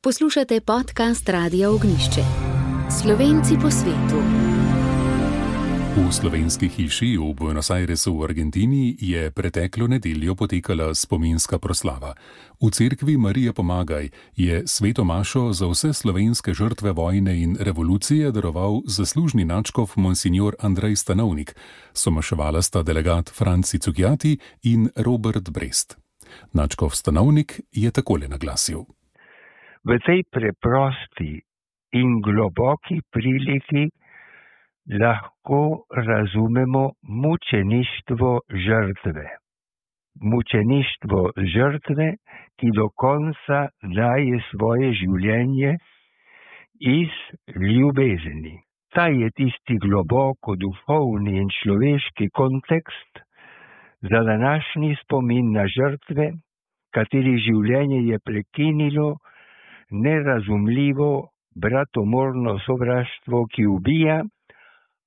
Poslušate podcast Radia Ognjišče. Slovenci po svetu. V slovenski hiši v Buenos Airesu v Argentini je preteklo nedeljo potekala spominska proslava. V cerkvi Marije Pomagaj je sveto mašo za vse slovenske žrtve vojne in revolucije daroval zaslužni nadškof monsignor Andrej Stanovnik. Somaševala sta delegat Franci Cukjati in Robert Brest. Nadškof Stanovnik je takole naglasil. V tej preprosti in globoki priliki lahko razumemo mučeništvo žrtve. Mučeništvo žrtve, ki do konca daje svoje življenje iz ljubezni. Ta je tisti globoko duhovni in človeški kontekst za današnji spomin na žrtve, kateri življenje je prekinilo nerazumljivo bratomorno sovraštvo, ki ubija,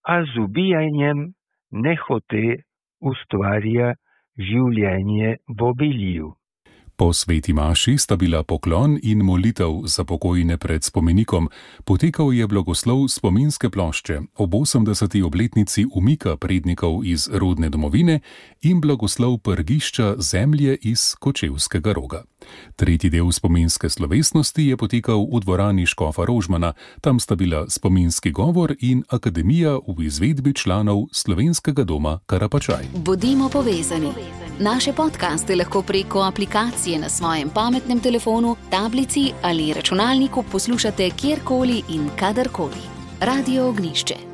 a z ubijanjem nehote ustvarja življenje v obilju. Po sveti maši sta bila poklon in molitev za pokojne pred spomenikom. Potekal je blagoslov spominske plošče ob 80. obletnici umika prednikov iz rodne domovine in blagoslov prgišča zemlje iz Kočevskega Roga. Tretji del spominske slovesnosti je potekal v dvorani škofa Rožmana. Tam sta bila spominski govor in akademija v izvedbi članov Slovenskega doma Karapačaj. Bodimo povezani. Naše podcaste lahko preko aplikacije na svojem pametnem telefonu, tablici ali računalniku poslušate kjerkoli in kadarkoli. Radio Ognjišče.